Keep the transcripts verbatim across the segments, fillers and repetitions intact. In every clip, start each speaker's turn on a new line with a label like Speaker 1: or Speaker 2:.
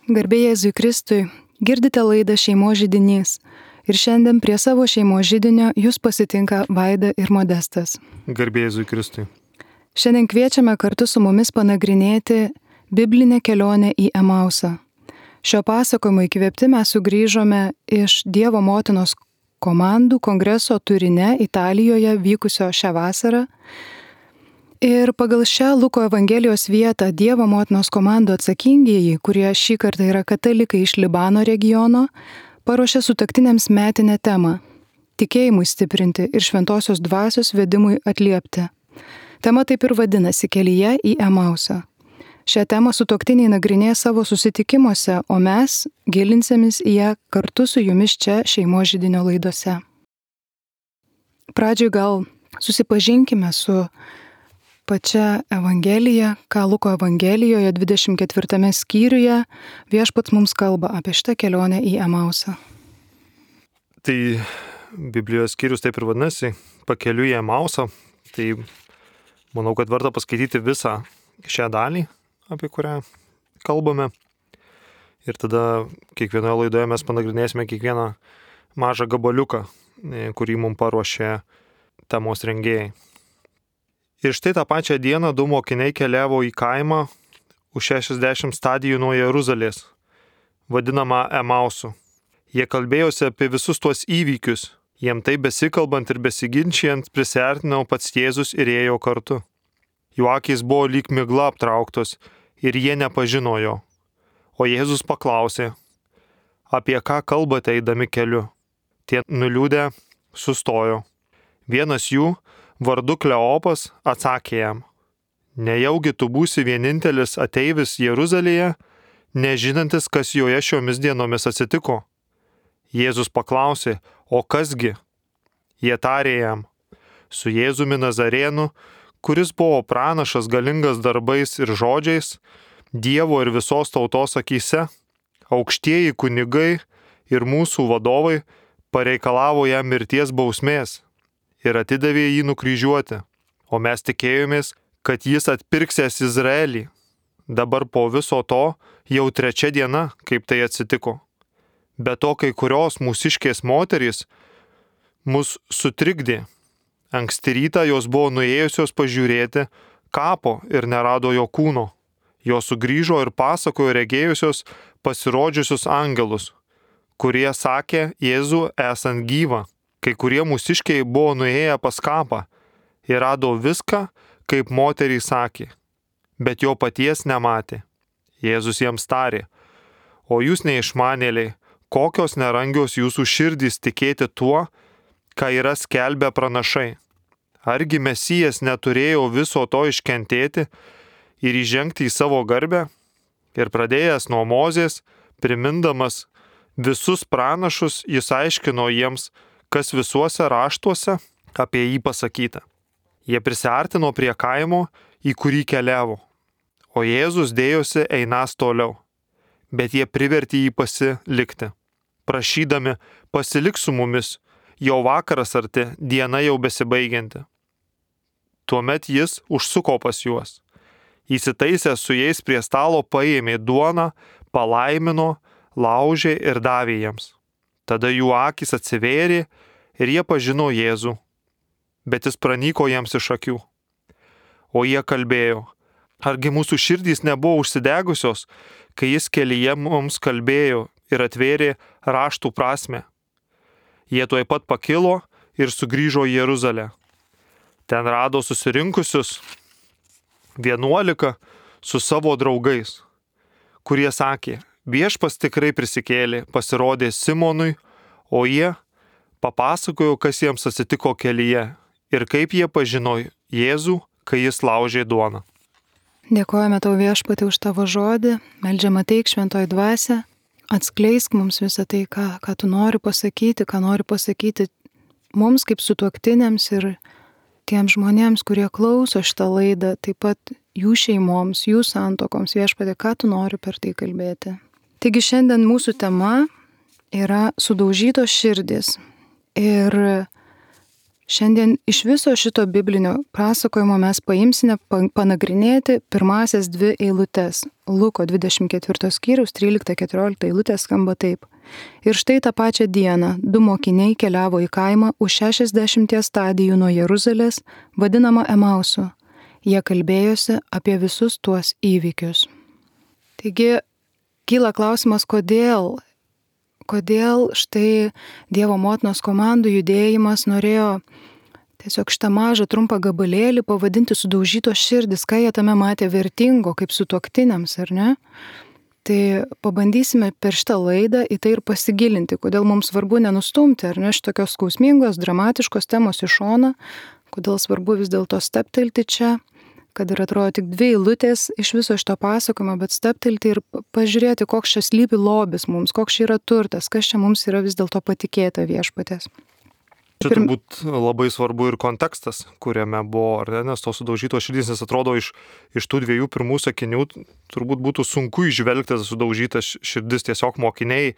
Speaker 1: Garbė Jėzui Kristui, girdite laidą Šeimos židinys ir šiandien prie savo šeimos židinio jūs pasitinka Vaida ir Modestas.
Speaker 2: Garbė Jėzui Kristui.
Speaker 1: Šiandien kviečiame kartu su mumis panagrinėti biblinę kelionę į Emausą. Šio pasakojimo įkvėpti mes sugrįžome iš Dievo motinos komandų kongreso Turine, Italijoje vykusio šią vasarą. Ir pagal šią Luko Evangelijos vietą Dievo motinos komandų atsakingieji, kurie šį kartą yra katalikai iš Libano regiono, paruošė sutuoktiniams metinę temą – tikėjimui stiprinti ir šventosios dvasios vedimui atliepti. Tema taip ir vadinasi kelyje į Emausą. Šią temą sutuoktiniai nagrinėja savo susitikimuose, o mes gilinsimės į ją kartu su jumis čia Šeimos židinio laidose. Pradžioj gal susipažinkime su pačia Evangelija, ką Luko Evangelijoje dvidešimt ketvirtame skyriuje viešpats mums kalba apie šitą kelionę į Emausą.
Speaker 2: Tai Biblijos skyrius taip ir vadinasi, pakeliui į Emausą. Tai manau, kad verta paskaityti visą šią dalį, apie kurią kalbame. Ir tada kiekvienoje laidoje mes panagrinėsime kiekvieną mažą gabaliuką, kurį mums paruošė temos rengėjai. Ir štai tą pačią dieną du mokiniai keliavo į kaimą už šešiasdešimt stadijų nuo Jeruzalės, vadinamą Emausu. Jie kalbėjosi apie visus tuos įvykius. Jiem tai besikalbant ir besiginčijant prisiartino pats Jėzus ir ėjo kartu. Jų akys buvo lyg migla aptrauktos ir jie nepažino jo. O Jėzus paklausė, apie ką kalbate eidami keliu. Tie nuliūdę sustojo. Vienas jų, vardu Kleopas, atsakė jam, nejaugi tu būsi vienintelis ateivis Jeruzalėje, nežinantis, kas joje šiomis dienomis atsitiko. Jėzus paklausė, o kasgi? Jie tarė jam, su Jėzumi Nazarėnu, kuris buvo pranašas galingas darbais ir žodžiais, Dievo ir visos tautos akyse, aukštieji kunigai ir mūsų vadovai pareikalavo jam mirties bausmės ir atidavė jį nukryžiuoti, o mes tikėjomės, kad jis atpirksės Izraelį. Dabar po viso to jau trečia diena, kaip tai atsitiko. Be to, kai kurios mūsiškės moterys mus sutrikdė. Anksti rytą jos buvo nuėjusios pažiūrėti kapo ir nerado jo kūno. Jos sugrįžo ir pasakojo regėjusios pasirodžiusius angelus, kurie sakė Jėzų esant gyvą. Kai kurie mūsiškiai buvo nuėję pas kapą ir rado viską, kaip moteriai sakė, bet jo paties nematė. Jėzus jiems tarė, o jūs neišmanėliai, kokios nerangios jūsų širdys tikėti tuo, ką yra skelbę pranašai. Argi Mesijas neturėjo viso to iškentėti ir įžengti į savo garbę? Ir pradėjęs nuo Mozės, primindamas visus pranašus, jis aiškino jiems, kas visuose raštuose apie jį pasakyta. Jie prisiartino prie kaimo, į kurį keliavo, o Jėzus dėjosi einas toliau, bet jie privertė jį pasilikti, prašydami pasilik su mumis, jau vakaras arti, diena jau besibaigianti. Tuomet jis užsuko pas juos. Įsitaisęs su jais prie stalo paėmė duoną, palaimino, laužė ir davė jiems. Tada jų akys atsivėrė ir jie pažino Jėzų, bet jis pranyko jiems iš akių. O jie kalbėjo, argi mūsų širdys nebuvo užsidegusios, kai jis kelyje mums kalbėjo ir atvėrė raštų prasmę. Jie tuoj pat pakilo ir sugrįžo į Jeruzalę. Ten rado susirinkusius vienuolika su savo draugais, kurie sakė, viešpas tikrai prisikėlė, pasirodė Simonui, o jie papasakojo, kas jiems atsitiko kelyje ir kaip jie pažino Jėzų, kai jis laužė duoną.
Speaker 1: Dėkojame tau viešpatį už tavo žodį, meldžiam ateik šventoji dvasia, atskleisk mums visą tai, ką, ką tu nori pasakyti, ką nori pasakyti mums kaip sutuoktiniams ir tiems žmonėms, kurie klauso šitą laidą, taip pat jų šeimoms, jų santuokoms, viešpatie, ką tu nori per tai kalbėti. Taigi šiandien mūsų tema yra sudaužytos širdys. Ir Šiandien iš viso šito biblinio pasakojimo mes paimsime panagrinėti pirmasias dvi eilutes. Luko dvidešimt ketvirto skyriaus trylikta keturiolikta eilutė skamba taip. Ir štai tą pačią dieną du mokiniai keliavo į kaimą už šešiasdešimties stadijų nuo Jeruzalės, vadinamą Emausu. Jie kalbėjosi apie visus tuos įvykius. Taigi, kyla klausimas, kodėl, kodėl štai Dievo motinos komandų judėjimas norėjo tiesiog šitą mažą trumpą gabalėlį pavadinti sudaužytos širdis, ką jie tame matė vertingo, kaip sutuoktiniams, ar ne? Tai pabandysime per šitą laidą į tai ir pasigilinti, kodėl mums svarbu nenustumti, ar ne, šitokios skausmingos, dramatiškos temos į šoną, kodėl svarbu vis dėlto steptelti čia, kad ir atrodo tik dvi eilutės iš viso šito pasakojimo, bet steptelti ir pažiūrėti, koks čia slypi lobis mums, koks čia yra turtas, kas čia mums yra vis dėlto patikėta viešpatės.
Speaker 2: Čia turbūt labai svarbu ir kontekstas, kuriame buvo, ar ne, nes tos sudaužytos širdys, nes atrodo iš, iš tų dviejų pirmų sakinių turbūt būtų sunku išvelgti tas sudaužytas širdis, tiesiog mokiniai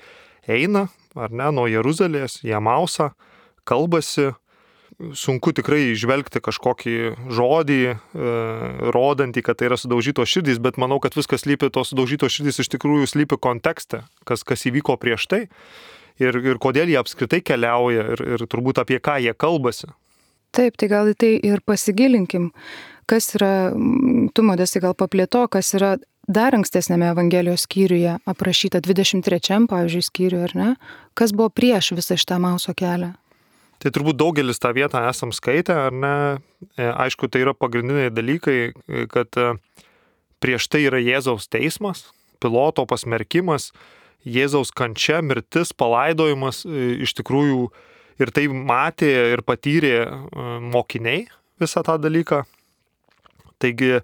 Speaker 2: eina, ar ne, nuo Jeruzalės į Emausą, kalbasi, sunku tikrai išvelgti kažkokį žodį, e, rodantį, kad tai yra sudaužytos širdys, bet manau, kad viskas slypi, tos sudaužytos širdys iš tikrųjų slypi kontekste, kas, kas įvyko prieš tai. Ir, ir kodėl jie apskritai keliauja ir, ir turbūt apie ką jie kalbasi.
Speaker 1: Taip, tai gal į tai ir pasigilinkim, kas yra, tu Modestai gal paplėto, kas yra dar ankstesnėme Evangelijos skyriuje aprašyta dvidešimt trečiam, pavyzdžiui, skyriuje, ar ne? Kas buvo prieš visą šitą Emauso kelią?
Speaker 2: Tai turbūt daugelis tą vietą esam skaitę, ar ne? Aišku, tai yra pagrindiniai dalykai, kad prieš tai yra Jėzaus teismas, Piloto pasmerkimas, Jėzaus kančia, mirtis, palaidojimas, iš tikrųjų ir tai matė ir patyrė mokiniai visą tą dalyką. Taigi,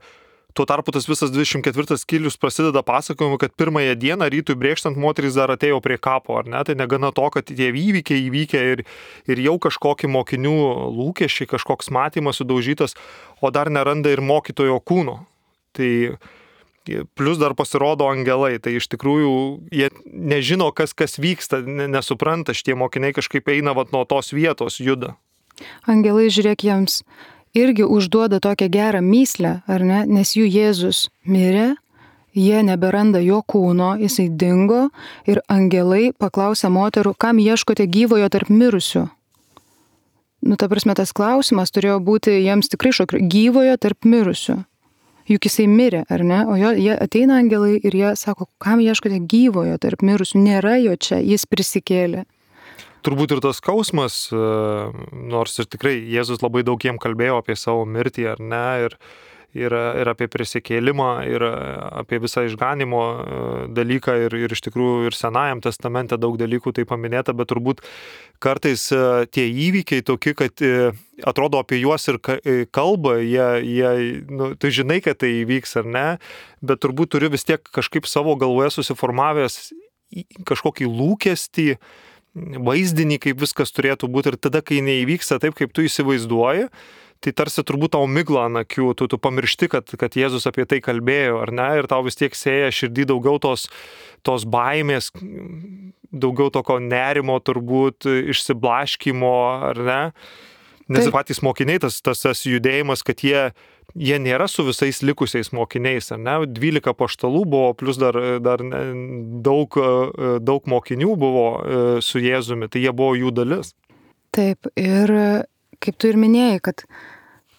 Speaker 2: tuo tarpu tas visas dvidešimt ketvirtas skyrius prasideda pasakojimu, kad pirmąją dieną rytui brėkštant moteris dar atėjo prie kapo, ar ne? Tai negana to, kad tie įvykiai įvykę ir, ir jau kažkokie mokinių lūkesčiai, kažkoks matymas sudaužytas, o dar neranda ir mokytojo kūno. Tai plus dar pasirodo angelai, tai iš tikrųjų jie nežino, kas, kas vyksta, nesupranta, šitie mokiniai kažkaip eina vat nuo tos vietos, juda.
Speaker 1: Angelai, žiūrėk, jiems irgi užduoda tokią gerą myslę, ar ne, nes jų Jėzus mirė, jie neberanda jo kūno, jisai dingo ir angelai paklausė moterų, kam ieškote gyvojo tarp mirusių. Nu, ta prasme, tas klausimas turėjo būti jiems tikrai šokio, gyvojo tarp mirusių. Juk jisai mirė, ar ne? O jo, jie ateina angelai ir jie sako, kam ieškote gyvojo tarp mirusių, nėra jo čia, jis prisikėlė.
Speaker 2: Turbūt ir tas skausmas, nors ir tikrai Jėzus labai daug jiem kalbėjo apie savo mirtį, ar ne, ir, ir, ir apie prisikėlimą, ir apie visą išganimo dalyką, ir, ir iš tikrųjų ir Senajam testamente daug dalykų tai paminėta, bet turbūt kartais tie įvykiai tokie, kad atrodo apie juos ir kalba, jie, jie nu, tu žinai, kad tai įvyks ar ne, bet turbūt turi vis tiek kažkaip savo galvoje susiformavęs kažkokį lūkestį, vaizdinį, kaip viskas turėtų būti, ir tada, kai neįvyksta taip, kaip tu įsivaizduoji, tai tarsi turbūt tau migla ant akių, tu, tu pamiršti, kad, kad Jėzus apie tai kalbėjo, ar ne, ir tau vis tiek sėja širdį daugiau tos, tos baimės, daugiau tokio nerimo turbūt, išsiblaškymo, ar ne, nes taip. Patys mokiniai, tas, tas, tas judėjimas, kad jie, jie nėra su visais likusiais mokiniais, ar ne, dvylika apaštalų buvo, plus dar, dar daug, daug mokinių buvo su Jėzumi, tai jie buvo jų dalis.
Speaker 1: Taip, ir kaip tu ir minėjai, kad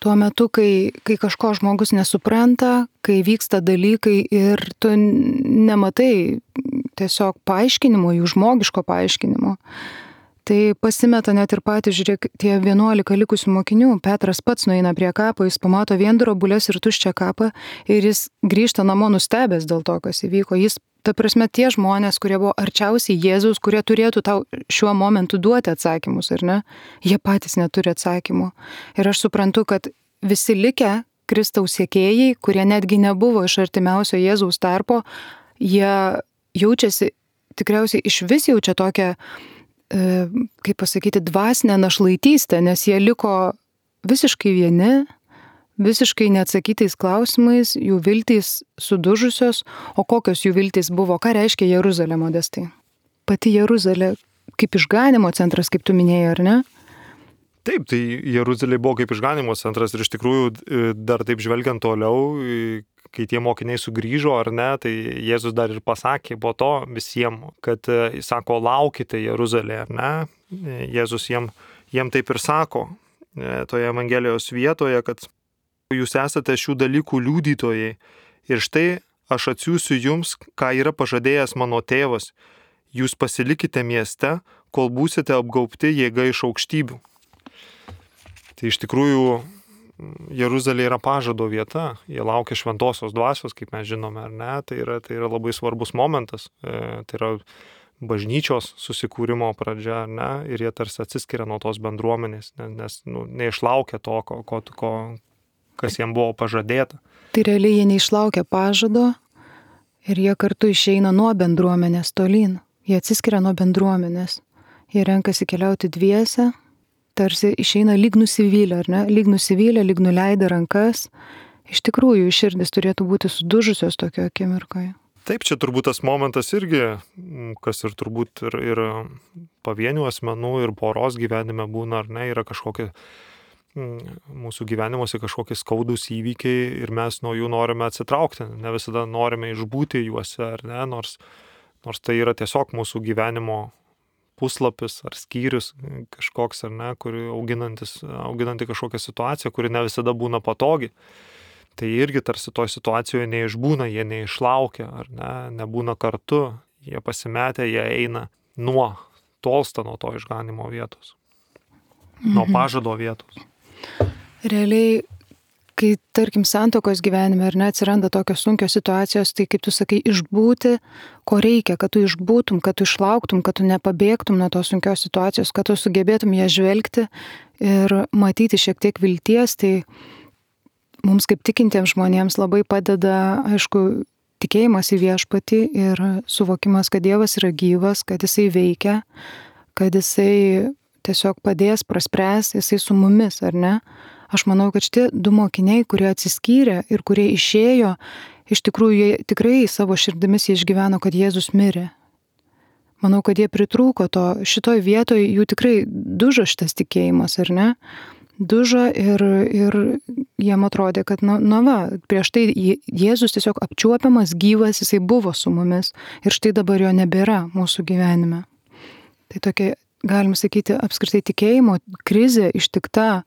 Speaker 1: tuo metu, kai, kai kažko žmogus nesupranta, kai vyksta dalykai ir tu nematai tiesiog paaiškinimo, jų žmogiško paaiškinimo, tai pasimeta net ir patys, žiūrėk, tie vienuolika likusių mokinių. Petras pats nueina prie kapo, jis pamato vien drobulės ir tuščią kapą ir jis grįžta namo nustebęs dėl to, kas įvyko. Jis, ta prasme, tie žmonės, kurie buvo arčiausiai Jėzaus, kurie turėtų tau šiuo momentu duoti atsakymus, ar ne? Jie patys neturi atsakymų. Ir aš suprantu, kad visi likę Kristaus sekėjai, kurie netgi nebuvo iš artimiausio Jėzaus tarpo, jie jaučiasi, tikriausiai iš vis jaučia tokią, e, kaip pasakyti, dvasinę našlaitystę, nes jie liko visiškai vieni, visiškai neatsakytais klausimais, jų viltys sudužusios, o kokios jų viltys buvo, ką reiškia Jeruzalė, Modestai? Pati Jeruzalė kaip išganimo centras, kaip tu minėjai, ar ne?
Speaker 2: Taip, tai Jeruzalė buvo kaip išganimo centras ir iš tikrųjų dar taip žvelgiant toliau, kai tie mokiniai sugrįžo ar ne, tai Jėzus dar ir pasakė po to visiems, kad jis sako, laukite Jeruzalė, ar ne? Jėzus jiem, jiem taip ir sako toje Evangelijos vietoje, kad jūs esate šių dalykų liudytojai ir štai aš atsiųsiu jums, ką yra pažadėjęs mano tėvas. Jūs pasilikite mieste, kol būsite apgaubti jėga iš aukštybių. Tai iš tikrųjų Jeruzalė yra pažado vieta, jie laukia šventosios dvasios, kaip mes žinome, ar ne, tai yra, tai yra labai svarbus momentas, e, tai yra bažnyčios susikūrimo pradžia, ar ne, ir jie tarsi atsiskiria nuo tos bendruomenės, nes, nes nu, neišlaukia to, ko, ko, ko, kas jiem buvo pažadėta.
Speaker 1: Tai realiai jie neišlaukia pažado ir jie kartu išeina nuo bendruomenės tolyn, jie atsiskiria nuo bendruomenės, jie renkasi keliauti dviese, tarsi išeina lyg nusivylę, ar ne? Lyg nusivylę, lyg nuleidę rankas. Iš tikrųjų, širdis turėtų būti sudužusios tokio akimirkoje.
Speaker 2: Taip, čia turbūt tas momentas irgi, kas ir turbūt ir, ir pavienių asmenų, ir poros gyvenime būna, ar ne, yra kažkokie mūsų gyvenimuose kažkokie skaudūs įvykiai ir mes nuo jų norime atsitraukti. Ne visada norime išbūti juose, ar ne, nors, nors tai yra tiesiog mūsų gyvenimo puslapis ar skyrius kažkoks, ar ne, kuri auginantis, auginanti kažkokią situaciją, kuri ne visada būna patogi. Tai irgi tarsi toj situacijoje neišbūna, jie neišlaukia, ar ne, nebūna kartu, jie pasimetę, jie eina nuo, tolsta nuo to išganimo vietos, mhm. nuo pažado vietos.
Speaker 1: Realiai, kai, tarkim, santuokos gyvenime ar ne atsiranda tokios sunkios situacijos, tai kaip tu sakai, išbūti, ko reikia, kad tu išbūtum, kad tu išlauktum, kad tu nepabėgtum nuo tos sunkios situacijos, kad tu sugebėtum ją žvelgti ir matyti šiek tiek vilties, tai mums kaip tikintiems žmonėms labai padeda, aišku, tikėjimas į viešpatį ir suvokimas, kad Dievas yra gyvas, kad jisai veikia, kad jisai tiesiog padės, praspręs, jisai su mumis, ar ne? Aš manau, kad šitie du mokiniai, kurie atsiskyrė ir kurie išėjo, iš tikrųjų jie tikrai savo širdimis jie išgyveno, kad Jėzus mirė. Manau, kad jie pritrūko to, šitoj vietoje jų tikrai dužo šitas tikėjimas, ar ne? Dužo ir, ir jiem atrodė, kad, na, na va, prieš tai Jėzus tiesiog apčiuopiamas, gyvas, jisai buvo su mumis ir štai dabar jo nebėra mūsų gyvenime. Tai tokia, galim sakyti, apskritai tikėjimo krizė ištikta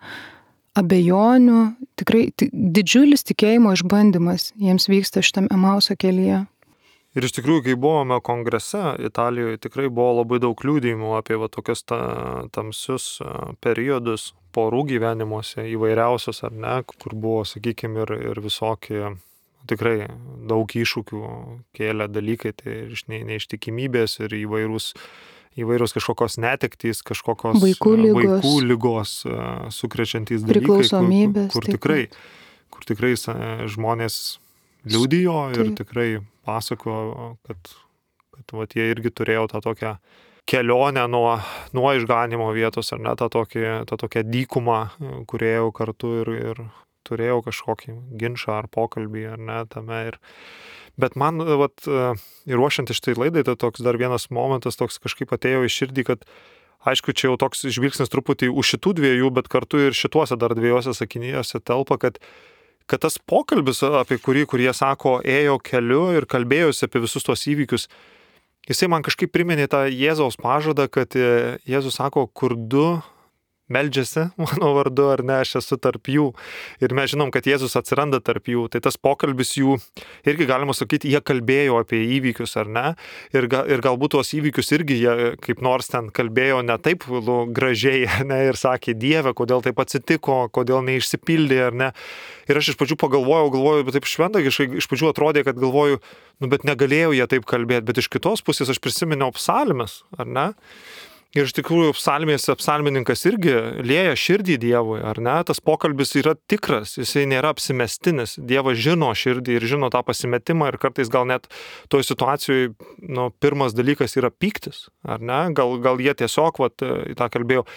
Speaker 1: abejonių, tikrai didžiulis tikėjimo išbandymas jiems vyksta šitam Emauso kelyje.
Speaker 2: Ir iš tikrųjų, kai buvome kongrese Italijoje, tikrai buvo labai daug liudijimų apie va, tokius ta, tamsius periodus porų gyvenimuose, įvairiausios ar ne, kur buvo, sakykime, ir, ir visokie, tikrai daug iššūkių kėlė dalykai, tai iš ne, neištikimybės ir įvairūs įvairios kažkokios netektys, kažkokios
Speaker 1: vaikų lygos,
Speaker 2: vaikų lygos sukrečiantys dalykai,
Speaker 1: priklausomybės,
Speaker 2: kur, kur, tikrai, kur tikrai žmonės liudijo ir tikrai pasakojo, kad, kad vat, jie irgi turėjo tą tokią kelionę nuo, nuo išganimo vietos, ar ne, tą, tokį, tą tokią dykumą, kurėjau kartu ir, ir turėjau kažkokį ginčą ar pokalbį, ar ne, tame ir bet man, vat, ir ruošiant iš tai laidai, tai toks dar vienas momentas toks kažkaip atėjo į širdį, kad aišku, čia jau toks žvilgsnis truputį už šitų dviejų, bet kartu ir šituose dar dviejose sakinyjose telpa, kad, kad tas pokalbis, apie kurį, kurie sako, ėjo keliu ir kalbėjosi apie visus tuos įvykius, jisai man kažkaip priminė tą Jėzaus pažadą, kad Jėzus sako, kur du meldžiasi mano vardu, ar ne, aš esu tarp jų. Ir mes žinom, kad Jėzus atsiranda tarp jų. Tai tas pokalbis jų, irgi galima sakyti, jie kalbėjo apie įvykius, ar ne. Ir, ga, ir galbūt tuos įvykius irgi jie kaip nors ten kalbėjo ne taip nu, gražiai, ne, ir sakė, Dieve, kodėl taip atsitiko, kodėl neišsipildė, ar ne. Ir aš iš pradžių pagalvojau, galvoju, bet taip šventagiškai, iš pradžių atrodė, kad galvoju, nu, bet negalėjau jie taip kalbėti, bet iš kitos pusės aš prisiminiau psalmes, ar ne. Ir iš tikrųjų psalmėse psalmininkas irgi lieja širdį Dievui, ar ne? Tas pokalbis yra tikras, jisai nėra apsimestinis. Dievas žino širdį ir žino tą pasimetimą ir kartais gal net toj situacijoje, nu, pirmas dalykas yra pyktis, ar ne? Gal, gal jie tiesiog vat, tą kalbėjo.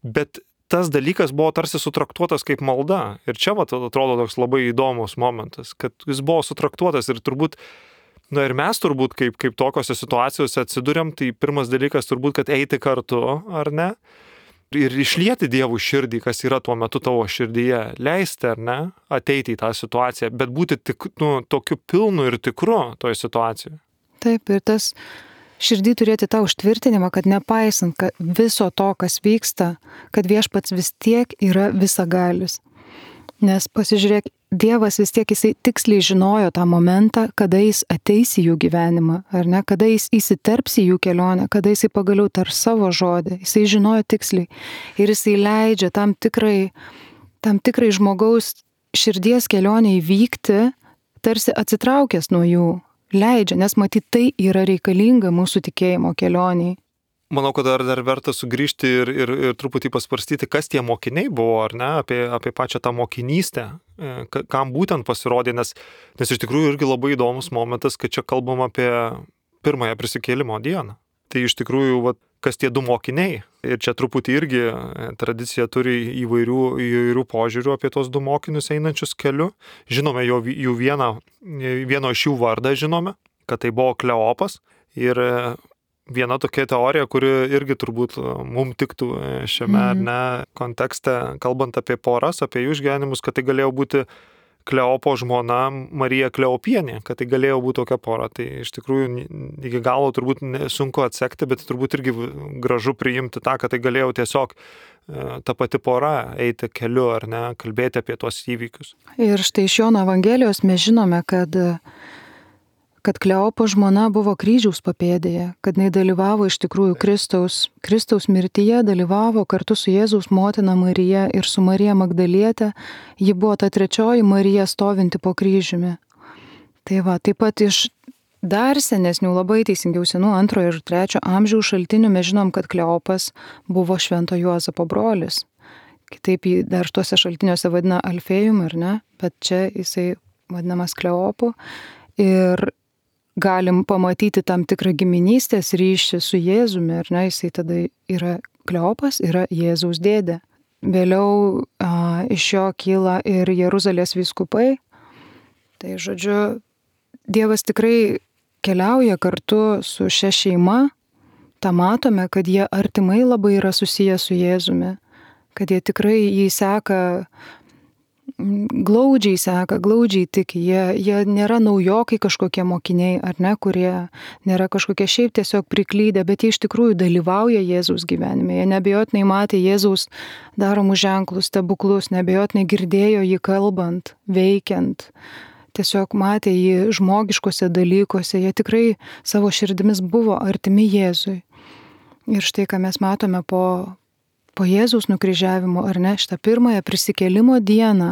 Speaker 2: Bet tas dalykas buvo tarsi sutraktuotas kaip malda. Ir čia vat, atrodo toks labai įdomus momentas, kad jis buvo sutraktuotas ir turbūt na ir mes turbūt, kaip, kaip tokiose situacijose atsiduriam, tai pirmas dalykas turbūt, kad eiti kartu, ar ne? ir išlieti Dievų širdį, kas yra tuo metu tavo širdyje, leisti ar ne, ateiti į tą situaciją, bet būti tik, nu, tokiu pilnu ir tikru toje situacijoje.
Speaker 1: Taip, ir tas širdį turėti tą užtvirtinimą, kad nepaisant kad viso to, kas vyksta, kad viešpats vis tiek yra visagalis. Nes pasižiūrėk, Dievas vis tiek jisai tiksliai žinojo tą momentą, kada jis ateis į jų gyvenimą, ar ne, kada jis įsiterps į jų kelionę, kada jisai pagaliau tar savo žodį, jisai žinojo tiksliai. Ir jisai leidžia tam tikrai, tam tikrai žmogaus širdies kelionę įvykti, tarsi atsitraukęs nuo jų, leidžia, nes matyt tai yra reikalinga mūsų tikėjimo kelioniai.
Speaker 2: Manau, kad dar, dar verta sugrįžti ir, ir, ir truputį pasvarstyti, kas tie mokiniai buvo, ar ne, apie, apie pačią tą mokinystę, kam būtent pasirodė, nes, nes iš tikrųjų irgi labai įdomus momentas, kad čia kalbam apie pirmąją prisikėlimo dieną. Tai iš tikrųjų, va, kas tie du mokiniai. Ir čia truputį irgi tradicija turi įvairių, įvairių požiūrių apie tos du mokinius einančius keliu. Žinome jo, jų vieną, vieno iš jų vardą žinome, kad tai buvo Kleopas. Ir viena tokia teorija, kuri irgi turbūt mums tiktų šiame mm. ar ne kontekste, kalbant apie poras, apie jų išgyvenimus, kad tai galėjo būti Kleopo žmona Marija Kleopienė, kad tai galėjo būti tokia pora. Tai iš tikrųjų iki galo turbūt sunku atsekti, bet turbūt irgi gražu priimti tą, kad tai galėjo tiesiog ta pati pora eiti keliu ar ne, kalbėti apie tuos įvykius.
Speaker 1: Ir štai iš Jono Evangelijos mes žinome, kad kad Kleopo žmona buvo kryžiaus papėdėje, kad jinai dalyvavo iš tikrųjų Kristaus, Kristaus mirtyje, dalyvavo kartu su Jėzaus motina Marija ir su Marija Magdalietė. Ji buvo ta trečioji Marija stovinti po kryžiumi. Tai va, taip pat iš dar senesnių, labai teisingiau senų antrojo ir trečio amžiaus šaltinių mes žinom, kad Kleopas buvo Švento Juozapo brolis. Kitaip jį dar tuose šaltiniuose vadina Alfėjum, ar ne? Bet čia jisai vadinamas Kleopu. Ir galim pamatyti tam tikrą giminystės ryšį su Jėzumi, ar ne, jisai tada yra Kleopas, yra Jėzaus dėdė. Vėliau a, iš jo kyla ir Jeruzalės vyskupai. Tai žodžiu, Dievas tikrai keliauja kartu su šia šeima. Ta matome, kad jie artimai labai yra susiję su Jėzumi, kad jie tikrai jį seka, glaudžiai seka, glaudžiai tiki, jie, jie nėra naujokai kažkokie mokiniai, ar ne, kurie nėra kažkokie šiaip tiesiog priklydę, bet jie iš tikrųjų dalyvauja Jėzaus gyvenime. Jie neabejotinai matė Jėzaus daromus ženklus, stebuklus, neabejotinai girdėjo jį kalbant, veikiant, tiesiog matė jį žmogiškose dalykuose, jie tikrai savo širdimis buvo artimi Jėzui. Ir štai, ką mes matome po Po Jėzaus nukryžiavimo, ar ne, šitą pirmąją prisikėlimo dieną,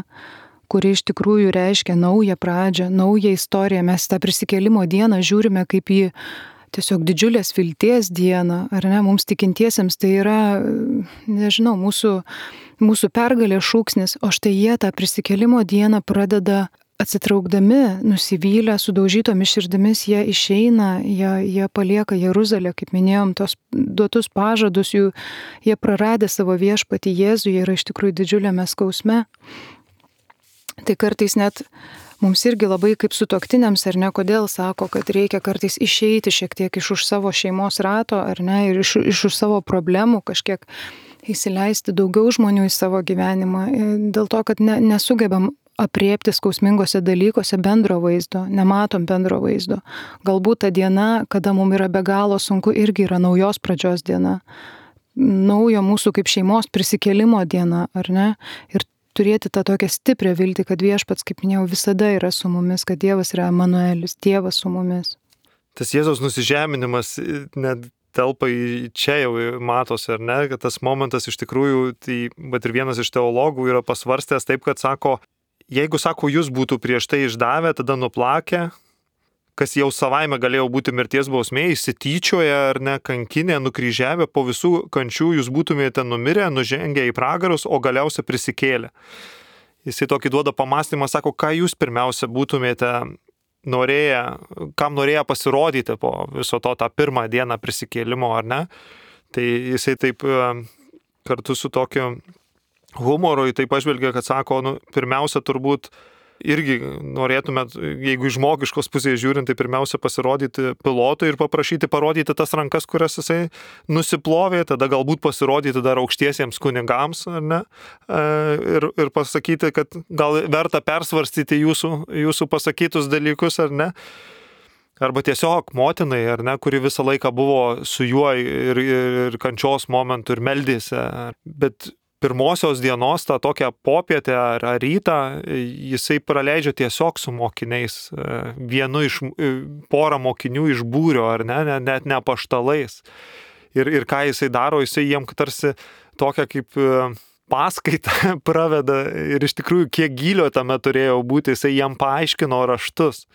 Speaker 1: kuri iš tikrųjų reiškia naują pradžią, naują istoriją. Mes tą prisikėlimo dieną žiūrime kaip į tiesiog didžiulės vilties dieną, ar ne, mums tikintiesiems tai yra, nežinau, mūsų, mūsų pergalės šūksnis, o štai jie tą prisikėlimo dieną pradeda atsitraukdami, nusivylę, sudaužytomis širdimis, jie išeina, jie, jie palieka Jeruzalę, kaip minėjom, tos duotus pažadus, jų, jie praradę savo viešpatį Jėzų, jie yra iš tikrųjų didžiuliame skausme. Tai kartais net mums irgi labai kaip sutuoktiniams, ar ne, kodėl sako, kad reikia kartais išeiti šiek tiek iš už savo šeimos rato, ar ne, ir iš, iš už savo problemų kažkiek įsileisti daugiau žmonių į savo gyvenimą, dėl to, kad ne, nesugebam apriepti skausmingose dalykuose bendro vaizdo, nematom bendro vaizdo. Galbūt ta diena, kada mums yra be galo sunku, irgi yra naujos pradžios diena, naujo mūsų kaip šeimos prisikėlimo diena, ar ne? Ir turėti tą tokią stiprią viltį, kad viešpats, kaip minėjau, visada yra su mumis, kad Dievas yra Emanuelis, Dievas su mumis.
Speaker 2: Tas Jėzaus nusižeminimas net telpa į čia jau matos, ar ne, kad tas momentas iš tikrųjų, tai, bet ir vienas iš teologų yra pasvarstęs taip, kad sako, jeigu, sako, jūs būtų prieš tai išdavę, tada nuplakę, kas jau savaime galėjo būti mirties bausmė, įsityčioję ar ne, kankinę, nukryžiavę, po visų kančių jūs būtumėte numirę, nužengę į pragarus, o galiausia prisikėlę. Jisai tokį duoda pamastymą, sako, ką jūs pirmiausia būtumėte norėję, kam norėję pasirodyti po viso to tą pirmą dieną prisikėlimo, ar ne. Tai jisai taip kartu su tokiu humoru į tai pažvelgia, kad sako, nu, pirmiausia turbūt irgi norėtumėt, jeigu iš žmogiškos pusės žiūrint, tai pirmiausia pasirodyti pilotui ir paprašyti parodyti tas rankas, kurias jisai nusiplovė, tada galbūt pasirodyti dar aukštiesiems kunigams, ar ne, ir, ir pasakyti, kad gal verta persvarstyti jūsų, jūsų pasakytus dalykus, ar ne. Arba tiesiog motinai, ar ne, kuri visą laiką buvo su juo ir, ir, ir kančios momentų ir meldėsi, bet pirmosios dienos, tą tokią popietę ar, ar rytą, jisai praleidžia tiesiog su mokiniais, vienu iš, porą mokinių iš būrio, ar ne, net ne apaštalais. Ir, ir ką jisai daro, jisai jiem tarsi tokią kaip paskaitą praveda ir iš tikrųjų kiek gylio tame turėjo būti, jisai jiem paaiškino raštus.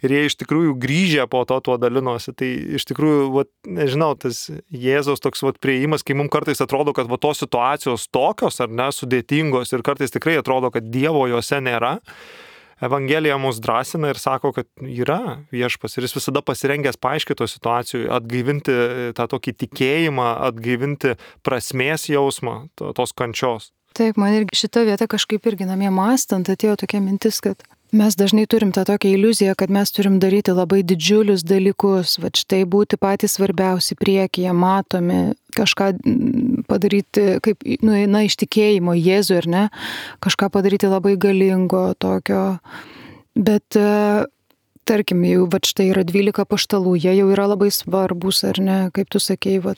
Speaker 2: Ir jie iš tikrųjų grįžę po to tuo dalinosi. Tai iš tikrųjų, vat, nežinau, tas Jėzaus toks vat, prieimas, kai mums kartais atrodo, kad vat, tos situacijos tokios ar ne, sudėtingos ir kartais tikrai atrodo, kad Dievo juose nėra. Evangelija mus drąsina ir sako, kad yra viešpas ir jis visada pasirengęs paaiškito situacijų, atgaivinti tą tokį tikėjimą, atgaivinti prasmės jausmą tos kančios.
Speaker 1: Taip, man irgi šita vieta kažkaip irgi namie mąstant atėjo tokia mintis, kad mes dažnai turim tą tokią iliuziją, kad mes turim daryti labai didžiulius dalykus, va štai būti patys svarbiausi priekyje, matomi, kažką padaryti, kaip, nu, na, iš tikėjimo Jėzui, ar ne, kažką padaryti labai galingo tokio, bet tarkim, jau va štai yra dvylika apaštalų, jie jau yra labai svarbus, ar ne, kaip tu sakei, va,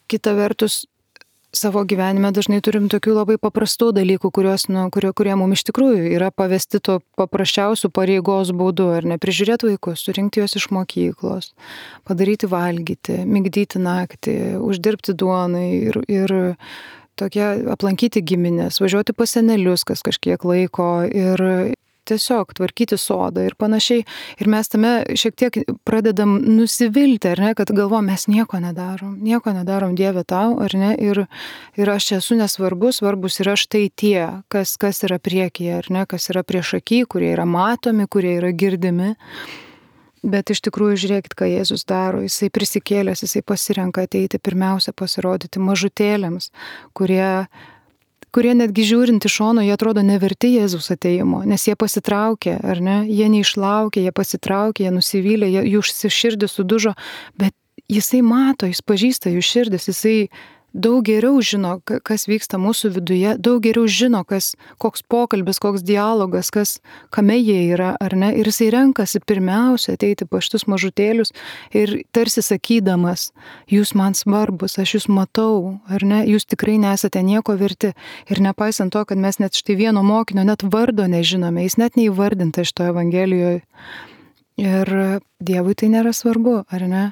Speaker 1: kita vertus, savo gyvenime dažnai turim tokių labai paprastų dalykų, kurios, nu, kurie, kurie mums iš tikrųjų yra pavesti to paprasčiausių pareigos būdu, ar ne, prižiūrėti vaikus, surinkti juos iš mokyklos, padaryti valgyti, migdyti naktį, uždirbti duonai ir, ir tokie aplankyti giminės, važiuoti pas senelius kas kažkiek laiko ir tiesiog tvarkyti sodą ir panašiai. Ir mes tame šiek tiek pradedam nusivilti, ar ne, kad galvom, mes nieko nedarom, nieko nedarom Dieve tau, ar ne, ir, ir aš esu nesvarbus, svarbus yra štai tie, kas, kas yra priekyje, ar ne, kas yra priešaky, kurie yra matomi, kurie yra girdimi. Bet iš tikrųjų žiūrėkit, ką Jėzus daro, jisai prisikėlęs, jisai pasirenka ateiti pirmiausia pasirodyti mažutėliams, kurie kurie netgi žiūrint iš šono, jie atrodo neverti Jėzus ateimo, nes jie pasitraukė, ar ne, jie neišlaukė, jie pasitraukė, jie nusivylė, jų širdis sudužo, bet jisai mato, jis pažįsta jų širdis, jisai daug geriau žino, kas vyksta mūsų viduje, daug geriau žino, kas, koks pokalbis, koks dialogas, kas, kame jie yra, ar ne, ir jisai renkasi pirmiausia ateiti pas šitus mažutėlius ir tarsi sakydamas, jūs man svarbus, aš jūs matau, ar ne, jūs tikrai nesate nieko verti. Ir nepaisant to, kad mes net štai vieno mokinio net vardo nežinome, jis net neįvardinta šitoje Evangelijoje. Ir Dievui tai nėra svarbu, ar ne?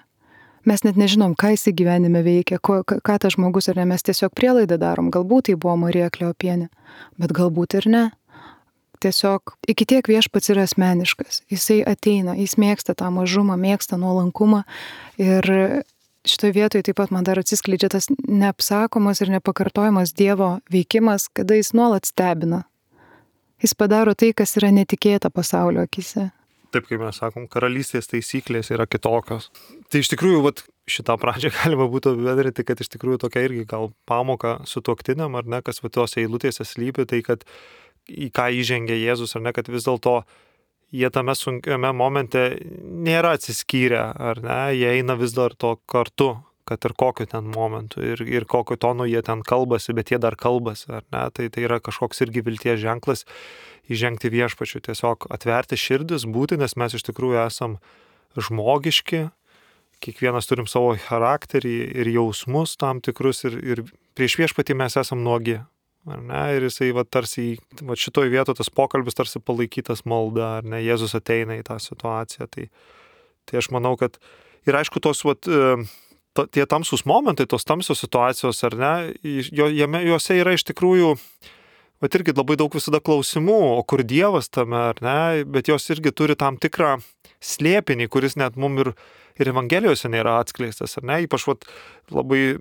Speaker 1: Mes net nežinom, ką jis gyvenime veikia, ko, ką tas žmogus, ar ne, mes tiesiog prielaidą darom. Galbūt tai buvo Marija Kleopienė, bet galbūt ir ne. Tiesiog iki tiek viešpats yra asmeniškas. Jisai ateina, jis mėgsta tą mažumą, mėgsta nuolankumą. Ir šitoje vietoje taip pat man dar atsiskleidžia tas neapsakomas ir nepakartojamas Dievo veikimas, kada jis nuolat stebina. Jis padaro tai, kas yra netikėta pasaulio akise.
Speaker 2: Taip, kaip mes sakom, karalystės taisyklės yra kitokios. Tai iš tikrųjų, vat, šitą pradžią galima būtų apibendrinti, kad iš tikrųjų tokia irgi gal pamoka sutuoktiniam, ar ne, kas tose eilutėse slypi, tai kad į ką įžengė Jėzus, ar ne, kad vis dėlto jie tame sunkiame momente nėra atsiskyrę, ar ne, jie eina vis dar to kartu, kad ir kokiu ten momentu ir, ir kokiu tonu jie ten kalbasi, bet jie dar kalbasi, ar ne, tai tai yra kažkoks irgi vilties ženklas įžengti viešpačiu, tiesiog atverti širdis, būti, nes mes iš tikrųjų esam žmogiški, kiekvienas turim savo charakterį ir jausmus tam tikrus ir, ir prieš viešpatį mes esam nuogi, ar ne, ir jisai va, tarsi, va, šitoj vietoje tas pokalbis tarsi palaikytas malda, ar ne, Jėzus ateina į tą situaciją, tai, tai aš manau, kad ir aišku tos, va, tie tamsus momentai, tos tamsios situacijos, ar ne, jame, juose yra iš tikrųjų, bet irgi labai daug visada klausimų, o kur Dievas tame, ar ne, bet jos irgi turi tam tikrą slėpinį, kuris net mum ir, ir Evangelijose nėra atskleistas, ar ne, ypač vat, labai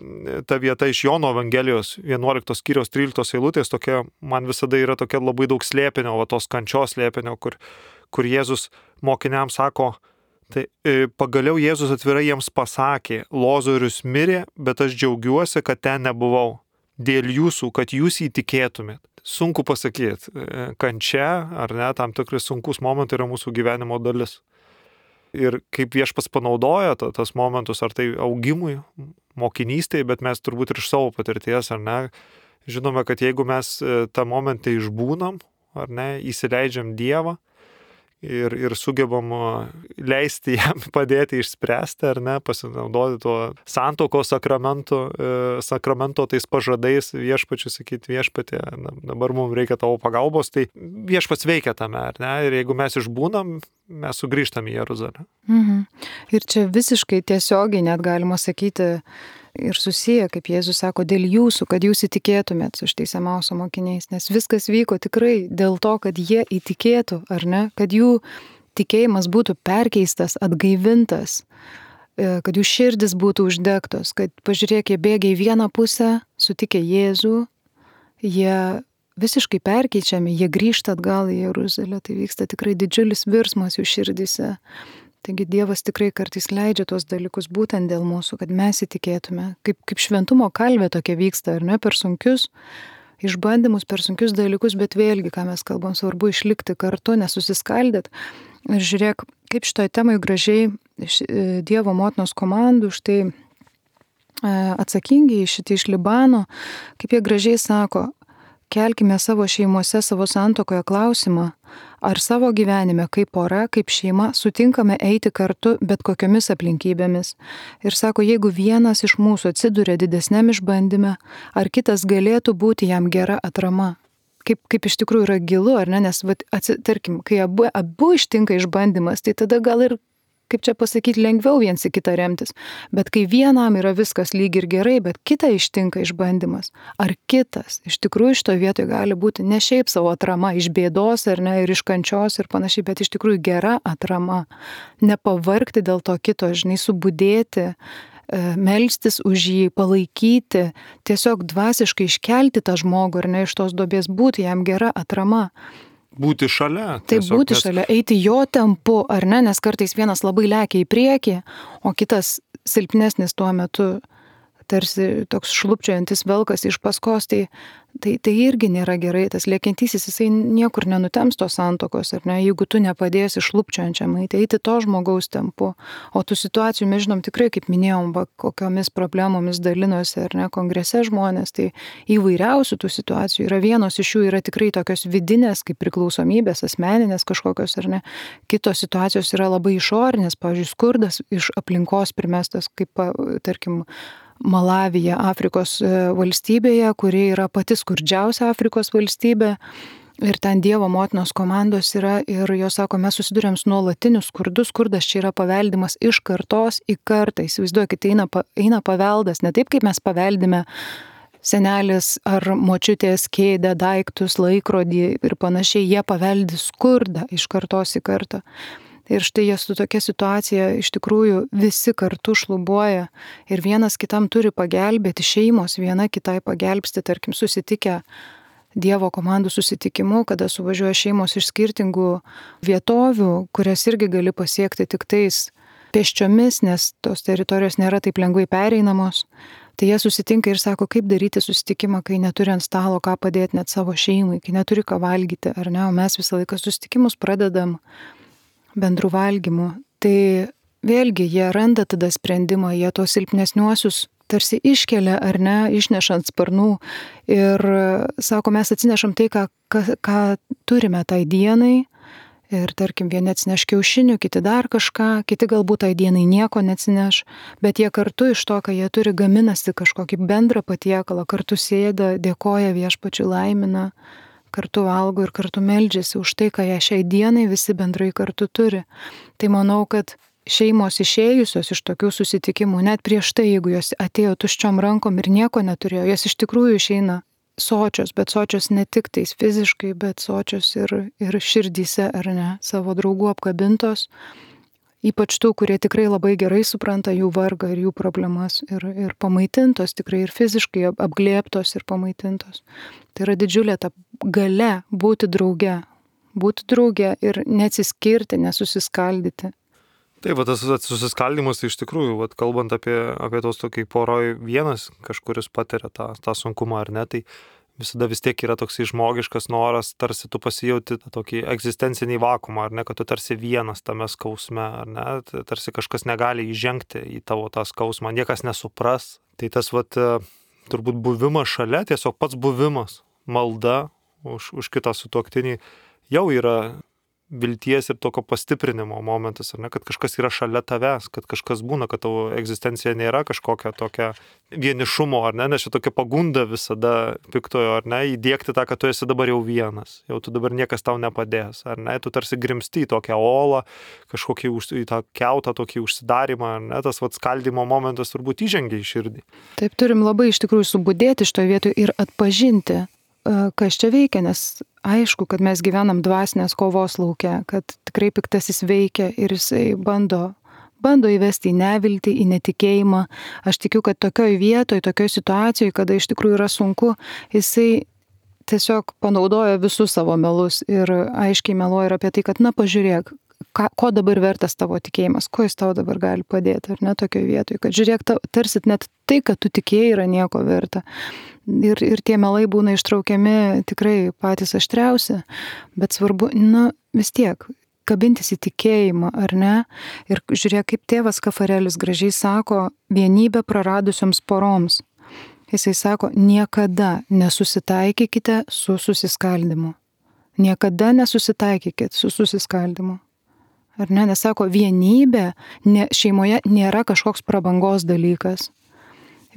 Speaker 2: ta vieta iš Jono Evangelijos vienuoliktos skyriaus tryliktos eilutės, tokia, man visada yra tokia labai daug slėpinio, va, tos kančios slėpinio, kur, kur Jėzus mokiniams sako, tai pagaliau Jėzus atvirai jiems pasakė, Lozorius mirė, bet aš džiaugiuosi, kad ten nebuvau, dėl jūsų, kad jūs įtikėtumėt. sunku pasakyti. Kančia, ar ne, tam tikrai sunkus momentai yra mūsų gyvenimo dalis. Ir kaip Viešpats panaudoja ta, tas momentus, ar tai augimui, mokinystėje, bet mes turbūt ir iš savo patirties, ar ne, žinome, kad jeigu mes tą momentą išbūnam, ar ne, įsileidžiam Dievą ir, ir sugebam leisti jam padėti išspręsti, ar ne, pasinaudoti tuo santuokos sakramento, sakramento tais pažadais Viešpačiui sakyti Viešpatie, dabar mums reikia tavo pagalbos, tai Viešpats veikia tame, ar ne, ir jeigu mes išbūnam, mes sugrįžtam į Jeruzalę.
Speaker 1: Mhm. Ir čia visiškai tiesiogiai net galima sakyti ir susiję, kaip Jėzus sako, dėl jūsų, kad jūs įtikėtumėt su šitais Emauso mokiniais, nes viskas vyko tikrai dėl to, kad jie įtikėtų, ar ne, kad jų tikėjimas būtų perkeistas, atgaivintas, kad jų širdis būtų uždegtos, kad pažiūrėk, jie bėgia į vieną pusę, sutikę Jėzų, jie visiškai perkeičiami, jie grįžta atgal į Jeruzalę, tai vyksta tikrai didžiulis virsmas jų širdise. Taigi Dievas tikrai kartais leidžia tos dalykus būtent dėl mūsų, kad mes įtikėtume. Kaip, kaip šventumo kalvė tokia vyksta, ar ne, per sunkius išbandymus, per sunkius dalykus, bet vėlgi, ką mes kalbam, svarbu išlikti kartu, nesusiskaldėt. Ir žiūrėk, kaip šitoje temoje gražiai iš Dievo motinos komandų, štai atsakingi šitie iš Libano, kaip jie gražiai sako, kelkime savo šeimose, savo santuokoje klausimą, ar savo gyvenime kaip pora, kaip šeima sutinkame eiti kartu bet kokiomis aplinkybėmis. Ir sako, jeigu vienas iš mūsų atsiduria didesniam išbandyme, ar kitas galėtų būti jam gera atrama. Kaip, kaip iš tikrųjų yra gilu, ar ne? Nes, vat, atsi, tarkim, kai abu, abu ištinka išbandymas, tai tada gal ir, kaip čia pasakyti, lengviau viens į kitą remtis. Bet kai vienam yra viskas lyg ir gerai, bet kitą ištinka išbandymas, ar kitas iš tikrųjų šitoje vietoje gali būti ne šiaip savo atrama iš bėdos ar ne, ir iš kančios ir panašiai, bet iš tikrųjų gera atrama. Nepavargti dėl to kito, žinai, subudėti, melstis už jį, palaikyti, tiesiog dvasiškai iškelti tą žmogų ar ne iš tos duobės, būti jam gera atrama.
Speaker 2: Būti šalia.
Speaker 1: Tai būti nes... šalia, eiti jo tempu, ar ne, nes kartais vienas labai lekia į priekį, o kitas silpnesnis tuo metu, tarsi toks šlupčiojantis velkas iš paskos, tai, tai, tai irgi nėra gerai, tas lėkiantysis, jisai niekur nenutems tos santuokos, ar ne, jeigu tu nepadėsi šlupčiojančiam eiti, eiti to žmogaus tempu, o tų situacijų mes žinom tikrai, kaip minėjom, va, kokiomis problemomis dalinosi, ar ne, kongrese žmonės, tai įvairiausių tų situacijų yra, vienos iš jų yra tikrai tokios vidinės, kaip priklausomybės, asmeninės kažkokios, ar ne, kitos situacijos yra labai išorinės, pavyzdžiui, skurdas iš aplinkos primestas, kaip, tarkim, Malavija, Afrikos valstybėje, kuri yra pati skurdžiausia Afrikos valstybė. Ir ten Dievo motinos komandos yra ir jos sako, mes susidurėm su nuolatiniu skurdu, skurdas čia yra paveldimas iš kartos į kartą. Įsivaizduokit, eina, eina paveldas, ne taip, kaip mes paveldime senelis ar močiutės kėdę, daiktus, laikrodį ir panašiai, jie paveldi skurdą iš kartos į kartą. Ir štai jie su tokia situacija iš tikrųjų visi kartu šlubuoja ir vienas kitam turi pagelbėti, šeimos viena kitai pagelbsti, tarkim, susitikę Dievo komandų susitikimu, kada suvažiuoja šeimos iš skirtingų vietovių, kurias irgi gali pasiekti tik tais pėsčiomis, nes tos teritorijos nėra taip lengvai pereinamos. Tai jie susitinka ir sako, kaip daryti susitikimą, kai neturi ant stalo ką padėti net savo šeimai, kai neturi ką valgyti, ar ne, o mes visą laiką susitikimus pradedam bendrų valgymų. Tai vėlgi jie randa tada sprendimą, jie tos silpnesniuosius tarsi iškelia ar ne, išnešant sparnų ir sako, mes atsinešam tai, ką, ką, ką turime tai dienai ir tarkim vieni atsineš kiaušinių, kiti dar kažką, kiti galbūt tai dienai nieko neatsineš, bet jie kartu iš to, ką jie turi, gaminasi kažkokį bendrą patiekalą, kartu sėda, dėkoja Viešpačiui, laimina, kartu valgo ir kartu meldžiasi už tai, ką jie šiai dienai visi bendrai kartu turi. Tai manau, kad šeimos išėjusios iš tokių susitikimų, net prieš tai, jeigu jos atėjo tuščiom rankom ir nieko neturėjo, jos iš tikrųjų išeina sočios, bet sočios ne tik tais fiziškai, bet sočios ir, ir širdyse, ar ne, savo draugų apkabintos, ypač tų, kurie tikrai labai gerai supranta jų vargą ir jų problemas ir, ir pamaitintos, tikrai ir fiziškai apglėbtos ir pamaitintos. Tai yra didžiulė ta galia būti drauge, būti drauge ir neatsiskirti, nesusiskaldyti.
Speaker 2: Taip, va, tas susiskaldimas, tai iš tikrųjų, va, kalbant apie, apie tos tokiai poroj vienas kažkuris patiria tą, tą sunkumą ar ne, tai visada vis tiek yra toksai žmogiškas noras, tarsi tu pasijauti tokį egzistencinį vakumą, ar ne, kad tu tarsi vienas tame skausme, ar ne, tarsi kažkas negali įžengti į tavo tą skausmą, niekas nesupras. Tai tas vat, turbūt buvimas šalia, tiesiog pats buvimas, malda už, už kitą sutuoktinį jau yra vilties ir tokio pastiprinimo momentas, ar ne, kad kažkas yra šalia tavęs, kad kažkas būna, kad tavo egzistencija nėra kažkokia tokia vienišumo, ar ne, nes čia tokia pagunda visada piktojo, ar ne, įdiegti tą, kad tu esi dabar jau vienas, jau tu dabar niekas tau nepadės, ar ne, tu tarsi grimsti į tokią olą, kažkokį į tą kiautą, tokį užsidarimą, ar ne, tas vat skaldimo momentas turbūt įžengia į širdį.
Speaker 1: Taip, turim labai iš tikrųjų subudėti šitoje vietoje ir atpažinti, kas čia veikia, nes aišku, kad mes gyvenam dvasinės kovos lauke, kad tikrai piktasis veikia ir jisai bando, bando įvesti į neviltį, į netikėjimą. Aš tikiu, kad tokioj vietoj, tokioj situacijoje, kada iš tikrųjų yra sunku, jisai tiesiog panaudoja visus savo melus ir aiškiai meluoja ir apie tai, kad na pažiūrėk, ką, ko dabar vertas tavo tikėjimas, ko jis tau dabar gali padėti, ar ne tokioj vietoj, kad žiūrėk, tarsi net tai, kad tu tikėjai, yra nieko verta. Ir, ir tie melai būna ištraukiami tikrai patys aštriausi, bet svarbu, na, vis tiek, kabintis į tikėjimą, ar ne? Ir žiūrėk, kaip tėvas Kafarelis gražiai sako, vienybę praradusioms poroms. Jisai sako, niekada nesusitaikykite su susiskaldimu. Niekada nesusitaikykite su susiskaldimu. Ar ne? Nes sako, vienybė ne, šeimoje nėra kažkoks prabangos dalykas.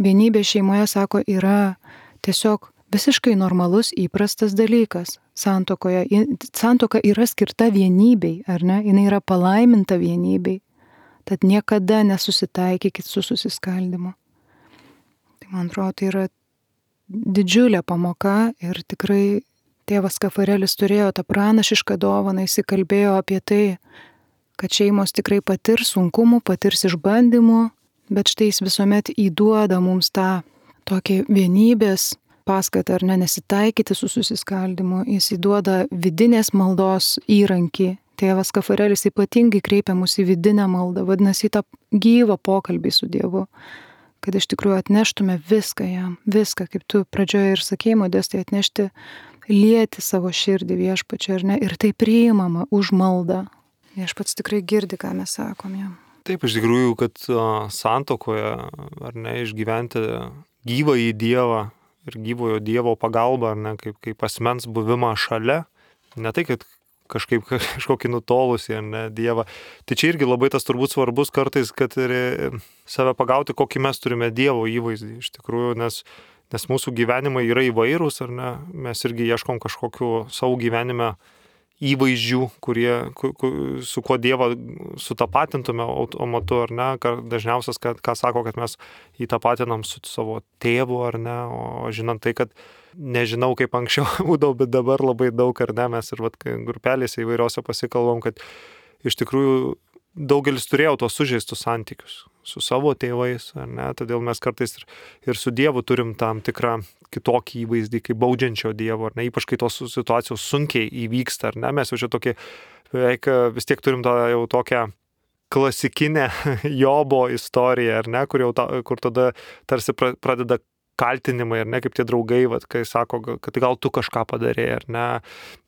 Speaker 1: Vienybė šeimoje, sako, yra tiesiog visiškai normalus, įprastas dalykas. Santuokoje, santuoka yra skirta vienybei, ar ne? Jinai yra palaiminta vienybei. Tad niekada nesusitaikykit su susiskaldimu. Tai man atrodo, tai yra didžiulė pamoka ir tikrai tėvas Kafarelis turėjo tą pranašišką dovaną, jis kalbėjo apie tai, kad šeimos tikrai patirs sunkumų, patirs išbandymų, bet štai jis visuomet įduoda mums tą tokį vienybės paskatą, ar ne, nesitaikyti su susiskaldimu. Jis įduoda vidinės maldos įrankį. Tėvas Kafarelis ypatingai kreipia mus į vidinę maldą, vadinasi, į tą gyvą pokalbį su Dievu, kad iš tikrųjų atneštume viską jam, viską, kaip tu pradžioje ir sakei, Modestai, atnešti, lieti savo širdį Viešpačiui, ar ne, ir tai priimama už maldą. Viešpats tikrai girdi, ką mes sakom jam.
Speaker 2: Taip, iš tikrųjų, kad santuokoje, ar ne, išgyventi gyvą į Dievą ir gyvojo Dievo pagalbą, ar ne, kaip, kaip asmens buvimą šalia, ne tai, kad kažkaip kažkokį nutolusį, ar ne, Dievą. Tai čia irgi labai tas turbūt svarbus kartais, kad ir save pagauti, kokį mes turime Dievo įvaizdį, iš tikrųjų, nes, nes mūsų gyvenimai yra įvairūs, ar ne, mes irgi ieškom kažkokių savo gyvenime įvaizdžių, kurie, ku, ku, su kuo Dievą sutapatintume automatu, ar ne, dažniausias, kad, ką sako, kad mes įtapatinam su savo tėvu, ar ne, o žinant tai, kad nežinau, kaip anksčiau būdavo, bet dabar labai daug, ar ne, mes ir vat, grupelėse įvairiose pasikalbam, kad iš tikrųjų daugelis turėjo tos sužeistus santykius su savo tėvais, ar ne, todėl mes kartais ir, ir su Dievu turim tam tikrą kitokį įvaizdį, kaip baudžiančio Dievo, ar ne, ypač kai tos situacijos sunkiai įvyksta, ar ne, mes jau čia tokį, beveik vis tiek turim tą jau tokią klasikinę Jobo istoriją, ar ne, kur, jau ta, kur tada tarsi pradeda kaltinimai, ar ne, kaip tie draugai, vat, kai sako, kad gal tu kažką padarėjai, ar ne,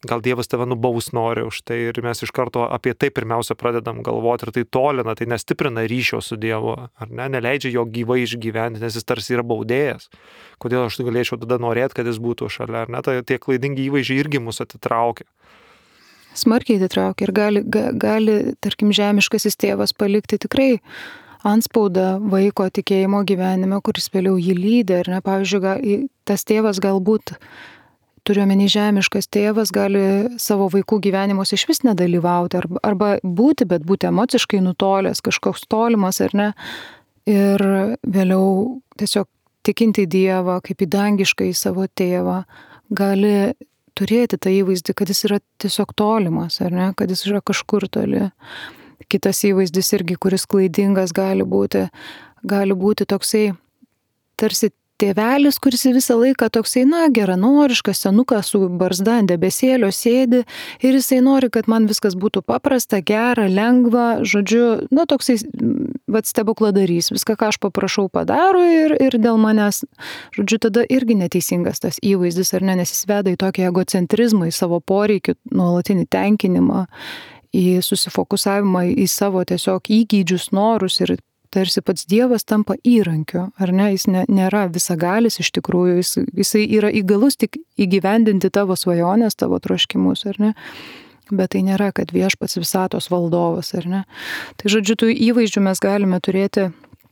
Speaker 2: gal Dievas tave nubaus nori už tai, ir mes iš karto apie tai pirmiausia pradedam galvoti, ir tai tolina, tai nestiprina ryšio su Dievu, ar ne, neleidžia jo gyvai išgyventi, nes jis tarsi yra baudėjas. Kodėl aš galėčiau tada norėti, kad jis būtų šalia, ar ne, tai tie klaidingi įvaizdžiai irgi mus atitraukia.
Speaker 1: Smarkiai atitraukia ir gali, gali, tarkim, žemiškasis tėvas palikti tikrai antspaudą vaiko tikėjimo gyvenime, kuris vėliau jį lydi, ir ne, pavyzdžiui, gal, tas tėvas galbūt, turiuomenį žemiškas tėvas, gali savo vaikų gyvenimuose iš vis nedalyvauti, arba, arba būti, bet būti emociškai nutolęs, kažkoks tolimas, ar ne, ir vėliau tiesiog tikinti Dievą, kaip į dangišką į savo tėvą, gali turėti tą įvaizdį, kad jis yra tiesiog tolimas, ar ne, kad jis yra kažkur toli. Kitas įvaizdis irgi, kuris klaidingas gali būti, gali būti toksai, tarsi tėvelis, kuris visą laiką toksai, na, geranoriškas, senukas su barzda ant debesėlio sėdi ir jisai nori, kad man viskas būtų paprasta, gera, lengva, žodžiu, na, toksai, vat, stebukladarys, viską, ką aš paprašau, padaro ir, ir dėl manęs, žodžiu, tada irgi neteisingas tas įvaizdis, ar ne, nes jis veda į tokį egocentrizmą, į savo poreikių nuolatinį tenkinimą, į susifokusavimą į savo tiesiog įgydžius, norus ir tarsi pats Dievas tampa įrankiu, ar ne, jis ne, nėra visagalis iš tikrųjų, jis, jisai yra įgalus tik įgyvendinti tavo svajonės, tavo troškimus, ar ne, bet tai nėra, kad viešpats visatos valdovas, ar ne. Tai žodžiu, tų įvaizdžių mes galime turėti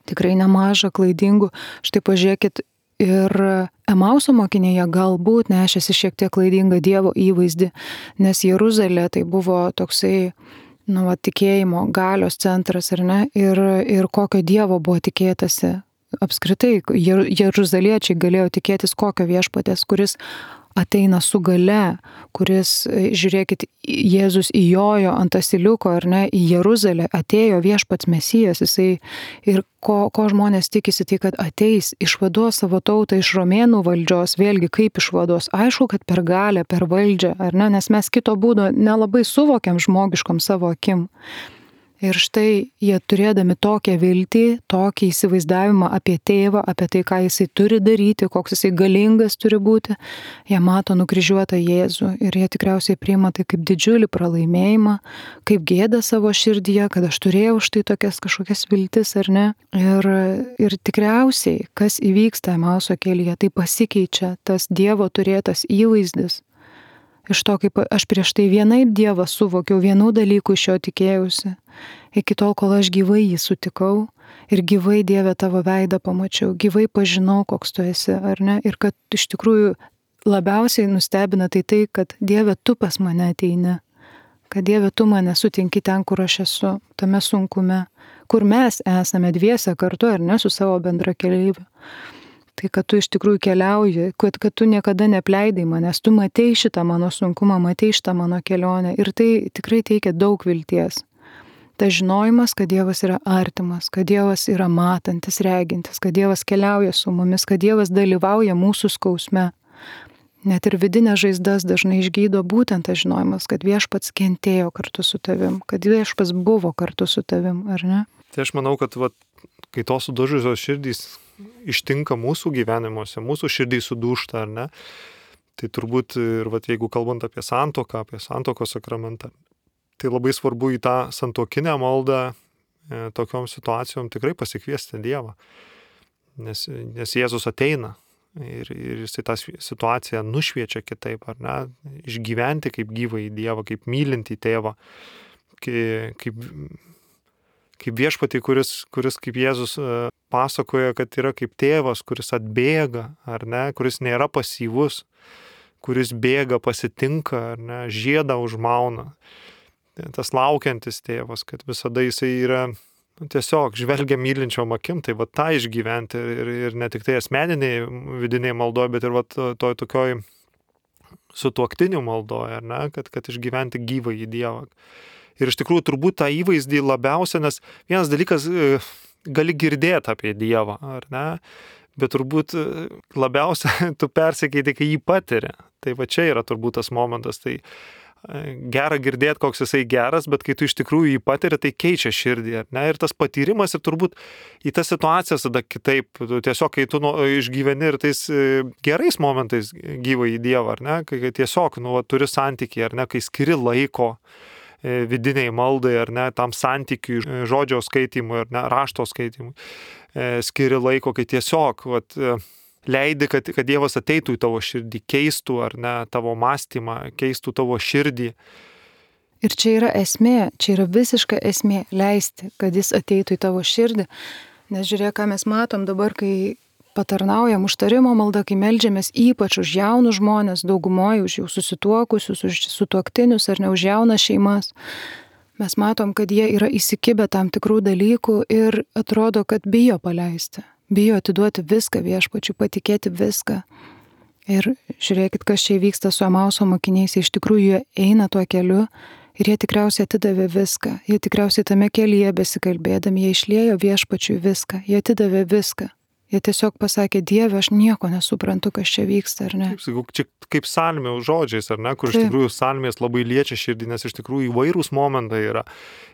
Speaker 1: tikrai nemažą klaidingų, štai pažiūrėkit, ir Emauso mokiniai galbūt nešėsi šiek tiek klaidingą Dievo įvaizdį, nes Jeruzalė tai buvo toksai, nu, va, tikėjimo, galios centras, ar ne, ir, ir kokio Dievo buvo tikėtasi. Apskritai, jeruzaliečiai galėjo tikėtis kokio viešpatės, kuris ateina su gale, kuris, žiūrėkit, Jėzus įjojo ant asiliuko, ar ne, į Jeruzalę, atėjo viešpats Mesijas, jisai ir ko, ko žmonės tikisi, tai kad ateis, išvaduos savo tautą iš romėnų valdžios, vėlgi kaip išvaduos, aišku, kad per galę, per valdžią, ar ne, nes mes kito būdo nelabai suvokiam žmogiškom savo akim. Ir štai jie turėdami tokią viltį, tokį įsivaizdavimą apie tėvą, apie tai, ką jisai turi daryti, koks jisai galingas turi būti, jie mato nukryžiuotą Jėzų ir jie tikriausiai priima tai kaip didžiulį pralaimėjimą, kaip gėdą savo širdyje, kad aš turėjau štai tokias kažkokias viltis ar ne. Ir, ir tikriausiai, kas įvyksta Emauso kelyje, tai pasikeičia tas Dievo turėtas įvaizdis. Iš to, kaip aš prieš tai vienaip Dievą suvokiau, vienų dalykų iš jo tikėjausi, iki tol, kol aš gyvai jį sutikau ir gyvai Dieve tavo veidą pamačiau, gyvai pažinau, koks tu esi, ar ne, ir kad iš tikrųjų labiausiai nustebina tai tai, kad Dieve tu pas mane ateini, kad Dieve tu mane sutinki ten, kur aš esu, tame sunkume, kur mes esame dviese kartu, ar ne, su savo bendra keleiviu. Tai, kad tu iš tikrųjų keliauji, kad, kad tu niekada nepleidai manęs, tu matei šitą mano sunkumą, matei šitą mano kelionę ir tai tikrai teikia daug vilties. Ta žinojimas, kad Dievas yra artimas, kad Dievas yra matantis, regintis, kad Dievas keliauja su mumis, kad Dievas dalyvauja mūsų skausme. Net ir vidinės žaizdas dažnai išgydo būtent tas žinojimas, kad viešpats kentėjo kartu su tavim, kad viešpats buvo kartu su tavim, ar ne?
Speaker 2: Tai aš manau, kad vat, kai tos sudužusios širdys ištinka mūsų gyvenimuose, mūsų širdys sudūžta, ar ne? Tai turbūt ir vat, jeigu kalbant apie santuoką, apie santuokos sakramentą, tai labai svarbu į tą santuokinę maldą e, tokiom situacijom tikrai pasikviesti Dievą. Nes, nes Jėzus ateina ir, ir jis tą situaciją nušviečia kitaip, ar ne? Išgyventi kaip gyvą į Dievą, kaip mylintį tėvą, kaip, kaip, kaip viešpatį, kuris, kuris kaip Jėzus pasakoja, kad yra kaip tėvas, kuris atbėga, ar ne, kuris nėra pasyvus, kuris bėga, pasitinka, ar ne, žiedą užmauna. Tas laukiantis tėvas, kad visada jisai yra nu, tiesiog žvelgia mylinčiom akim, tai va tą išgyventi ir, ir ne tik tai asmeniniai vidiniai maldoje, bet ir va to, to tokioj sutuoktinių maldoje, ar ne, kad, kad išgyventi gyvą į Dievą. Ir iš tikrųjų turbūt tą įvaizdį labiausia, nes vienas dalykas gali girdėti apie Dievą, ar ne, bet turbūt labiausia tu persikeiti, kai jį patiri. Tai va čia yra turbūt tas momentas, tai gera girdėti, koks jisai geras, bet kai tu iš tikrųjų jį patiri, tai keičia širdį, ar ne, ir tas patyrimas ir turbūt į tas situacijas tada kitaip, tu tiesiog kai tu nu, išgyveni ir tais gerais momentais gyvą į Dievą, ar ne, kai tiesiog nu, turi santykį, ar ne, kai skiri laiko vidiniai maldai, ar ne, tam santykiui, žodžio skaitimui, ar ne, rašto skaitimui, skiri laiko, kai tiesiog vat, leidi, kad, kad Dievas ateitų į tavo širdį, keistų, ar ne, tavo mąstymą, keistų tavo širdį.
Speaker 1: Ir čia yra esmė, čia yra visiška esmė leisti, kad jis ateitų į tavo širdį, nes žiūrėk, ką mes matom dabar, kai patarnaujam užtarimo maldą, kai meldžiamės ypač už jaunus žmonės, daugumoje už jau susituokusius, už sutuoktinius ar ne už jaunas šeimas. Mes matom, kad jie yra įsikibę tam tikrų dalykų ir atrodo, kad bijo paleisti, bijo atiduoti viską viešpačiui, patikėti viską. Ir žiūrėkit, kas čia vyksta su Emauso mokiniais, iš tikrųjų jie eina tuo keliu ir jie tikriausiai atidavė viską, jie tikriausiai tame kelyje besikalbėdami, jie išliejo viešpačiui viską, jie atidavė viską. Jie tiesiog pasakė, Dieve, aš nieko nesuprantu, kas čia vyksta, ar ne?
Speaker 2: Taip, sakau, čia kaip salmių žodžiais, ar ne, kur
Speaker 1: Taip.
Speaker 2: iš tikrųjų salmės labai liečia širdį, nes iš tikrųjų įvairūs momentai yra.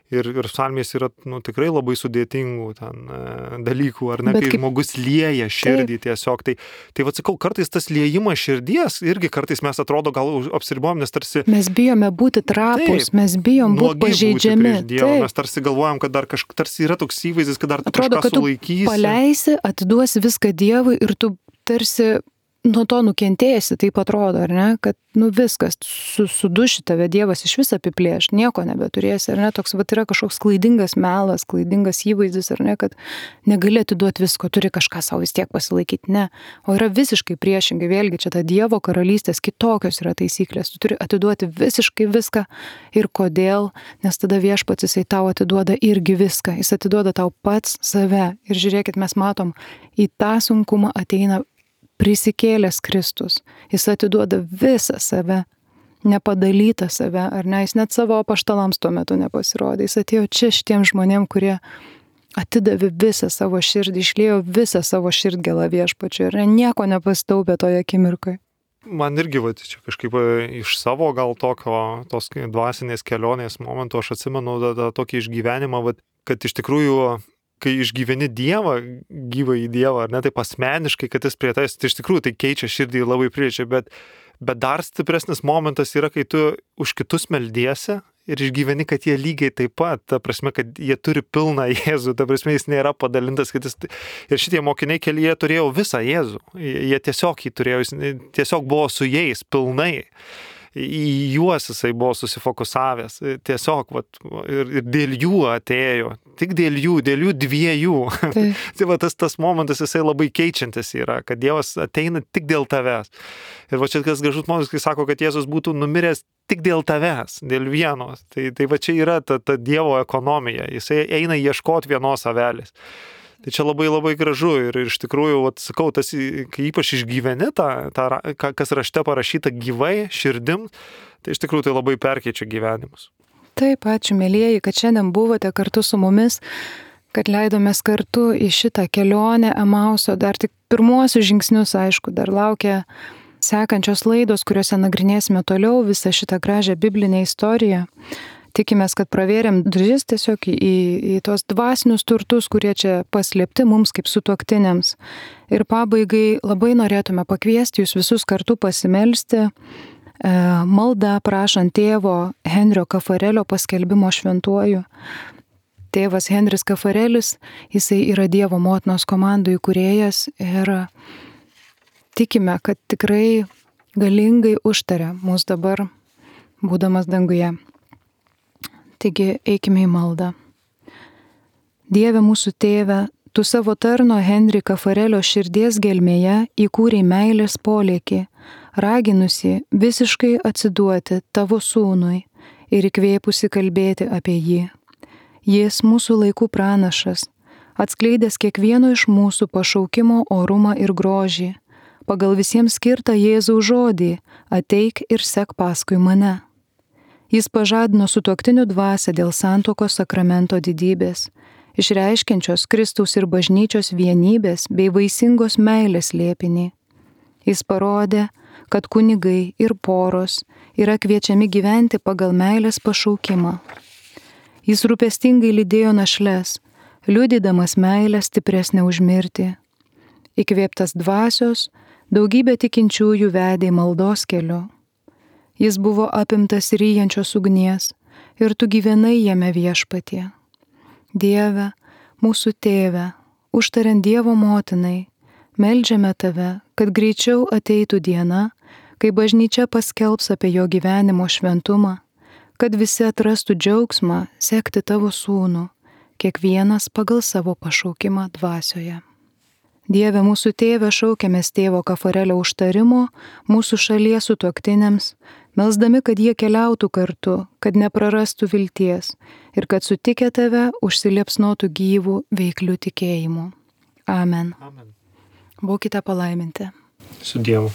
Speaker 2: Ir, ir salmės yra nu, tikrai labai sudėtingų ten, e, dalykų, ar ne,
Speaker 1: Bet
Speaker 2: kai
Speaker 1: kaip-
Speaker 2: žmogus lieja širdį tiesiog. Tai, tai vad sakau, kartais tas liejimas širdies, irgi kartais mes atrodo gal už- apsiribojam, nes tarsi
Speaker 1: Mes bijome būti trapus,
Speaker 2: Taip.
Speaker 1: mes bijom būti
Speaker 2: nuogi būti
Speaker 1: pažeidžiami.
Speaker 2: prieš Dievą.
Speaker 1: Taip.
Speaker 2: Mes tarsi galvojam, kad dar kažkas, tarsi yra toks įvaizdis, kad dar tu
Speaker 1: Atrodo,
Speaker 2: kažką
Speaker 1: kad tu
Speaker 2: sulaikysi.
Speaker 1: paleisi, atiduosi viską Dievui ir tu tarsi nuo to nukentėsi, taip atrodo, ar ne? Kad nu viskas, su, suduši tave Dievas iš vis apiplėš, nieko nebeturėsi, ar ne? Toks vat yra kažkoks klaidingas melas, klaidingas įvaizdis, ar ne? Kad negali atiduoti visko, turi kažką savo vis tiek pasilaikyti, ne. O yra visiškai priešingai, vėlgi čia ta Dievo karalystės kitokios yra taisyklės, tu turi atiduoti visiškai viską. Ir kodėl? Nes tada Viešpats jisai tau atiduoda irgi viską, jis atiduoda tau pats save. Ir žiūrėkit, mes matom, į tą sunkumą ateina prisikėlęs Kristus. Jis atiduoda visą save, nepadalytą save, ar ne? Jis net savo apaštalams tuo metu nepasirodė. Jis atėjo čia šitiem žmonėm, kurie atidavė visą savo širdį, išliejo visą savo širdgėlą Viešpačiui ir nieko nepastaupė toje akimirkoje.
Speaker 2: Man irgi, va, čia kažkaip e, iš savo gal tokio, tos dvasinės kelionės momentų aš atsimenu tą, tą tokį išgyvenimą, va, kad iš tikrųjų kai išgyveni Dievą, gyvą į Dievą, ar ne, taip asmeniškai, kad jis prie tavęs, tai iš tikrųjų tai keičia širdį labai priečia, bet, bet dar stipresnis momentas yra, kai tu už kitus meldiesi ir išgyveni, kad jie lygiai taip pat, ta prasme, kad jie turi pilną Jėzų, ta prasme, jis nėra padalintas, kad jis... Ir šitie mokiniai kelyje turėjo visą Jėzų, jie tiesiog jį turėjo, jis tiesiog buvo su jais pilnai. Į juos jisai buvo susifokusavęs, tiesiog, vat, ir, ir dėl jų atėjo, tik dėl jų, dėl jų dviejų. Tai, tai va, tas, tas momentas jisai labai keičiantis yra, kad Dievas ateina tik dėl tavęs. Ir va čia kas gražus momentas, kai sako, kad Jėzus būtų numiręs tik dėl tavęs, dėl vienos. Tai, tai va čia yra ta, ta Dievo ekonomija, jisai eina ieškoti vienos avelės. Tai čia labai labai gražu ir iš tikrųjų, vat, sakau, tas, kai ypač išgyveni tą, tą, kas rašte parašyta gyvai, širdim, tai iš tikrųjų tai labai perkeičia gyvenimus.
Speaker 1: Taip, ačiū mėlyjeji, kad šiandien buvote kartu su mumis, kad leidomės kartu į šitą kelionę Emauso, dar tik pirmuosius žingsnius, aišku, dar laukia sekančios laidos, kuriuose nagrinėsime toliau visą šitą gražią biblinę istoriją. Tikimės, kad pravėrėm duris tiesiog į, į tos dvasinius turtus, kurie čia paslėpti mums kaip sutuoktiniams. Ir pabaigai labai norėtume pakviesti jūs visus kartu pasimelsti e, maldą prašant tėvo Henrio Kafarelio paskelbimo šventuoju. Tėvas Henris Kafarelis, jisai yra Dievo motinos komandų įkūrėjas ir tikime, kad tikrai galingai užtaria mus dabar, būdamas danguje. Taigi eikime į maldą. Dieve mūsų tėve, tu savo tarno Henri Kafarelio širdies gelmėje įkūrei meilės polėkį, raginusi visiškai atsiduoti tavo sūnui ir įkvėpusi kalbėti apie jį. Jis mūsų laikų pranašas, atskleidęs kiekvieno iš mūsų pašaukimo orumą ir grožį, pagal visiems skirtą Jėzaus žodį, ateik ir sek paskui mane. Jis pažadino sutuoktinių dvasią dėl santuokos sakramento didybės, išreiškiančios Kristaus ir bažnyčios vienybės bei vaisingos meilės slėpinį. Jis parodė, kad kunigai ir poros yra kviečiami gyventi pagal meilės pašaukimą. Jis rūpestingai lydėjo našles, liudydamas meilę stipresnę už mirtį. Įkvėptas dvasios, daugybė tikinčiųjų vedė maldos keliu. Jis buvo apimtas ryjančios ugnies ir tu gyvenai jame Viešpatie. Dieve, mūsų tėve, užtariant Dievo motinai, meldžiame tave, kad greičiau ateitų diena, kai bažnyčia paskelbs apie jo gyvenimo šventumą, kad visi atrastų džiaugsmą sekti tavo sūnų, kiekvienas pagal savo pašaukimą dvasioje. Dieve, mūsų tėve, šaukiamės tėvo Kafarelio užtarimo mūsų šalies sutuoktiniams, melsdami, kad jie keliautų kartu, kad neprarastų vilties ir kad sutikę tave užsiliepsnotų gyvų veiklių tikėjimų. Amen.
Speaker 2: Amen.
Speaker 1: Būkite palaiminti.
Speaker 2: Su Dievu.